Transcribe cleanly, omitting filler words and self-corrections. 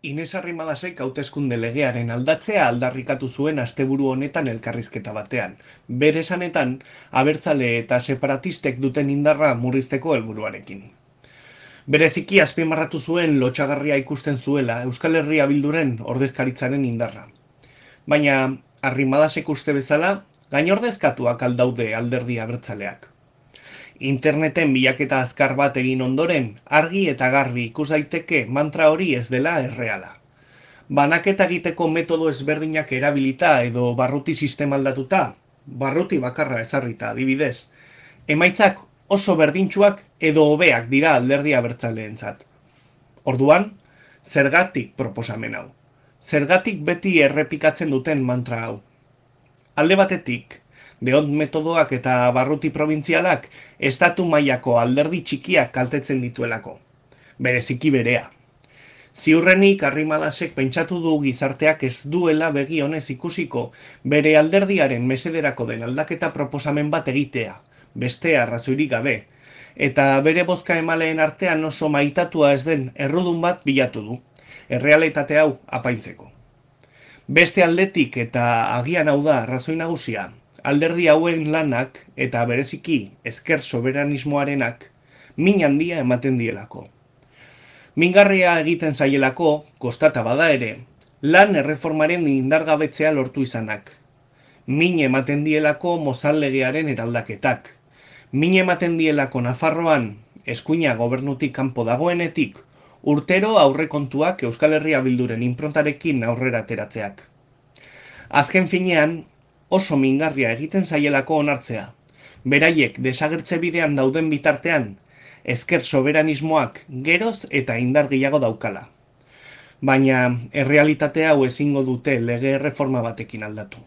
Ines Arrimadasek hauteskunde legearen aldatzea aldarrikatu zuen asteburu honetan elkarrizketa batean. Bere esanetan, abertzale eta separatistek duten indarra murrizteko helburuarekin. Bereziki azpimarratu zuen lotsagarria ikusten zuela Euskal Herria Bilduren ordezkaritzaren indarra. Baina, Arrimadasek uste bezala, gainordezkatuak aldaude alderdi abertzaleak. Interneten bilaketa azkar bat egin ondoren, argi eta garbi ikus daiteke mantra hori ez dela erreala. Banaketa egiteko metodo ezberdinak erabilita edo barruti sistema aldatuta, barruti bakarra ezarrita adibidez, emaitzak oso berdintsuak edo hobeak dira alderdi abertzaleentzat. Orduan, zergatik proposamen hau? Zergatik beti errepikatzen duten mantra hau? Alde batetik, deont metodoak eta barruti probintzialak estatu mailako alderdi txikiak kaltetzen dituelako. Bereziki berea. Ziurrenik Arrimadasek pentsatu du gizarteak ez duela begi honez ikusiko bere alderdiaren mesederako den aldaketa proposamen bat egitea, beste arrazoirik gabe, eta bere bozka emaleen artean oso maitatua ez den errudun bat bilatu du, errealitate hau apaintzeko. Beste aldetik eta agian hau da arrazoi nagusia, alderdi hauen lanak eta bereziki ezker soberanismoarenak min handia ematen dielako. Mingarria egiten zaielako, kostata bada ere, lan erreformaren indargabetzea lortu izanak. Min ematen dielako Mozal legearen eraldaketak. Min ematen dielako Nafarroan, eskuina gobernutik kanpo dagoenetik, urtero aurrekontuak Euskal Herria Bilduren inprontarekin aurrera ateratzeak. Azken finean, oso mingarria egiten zaielako onartzea. Beraiek desagertze bidean dauden bitartean, ezker soberanismoak geroz eta indar gehiago daukala. Baina, errealitate hau ezingo dute lege erreforma batekin aldatu.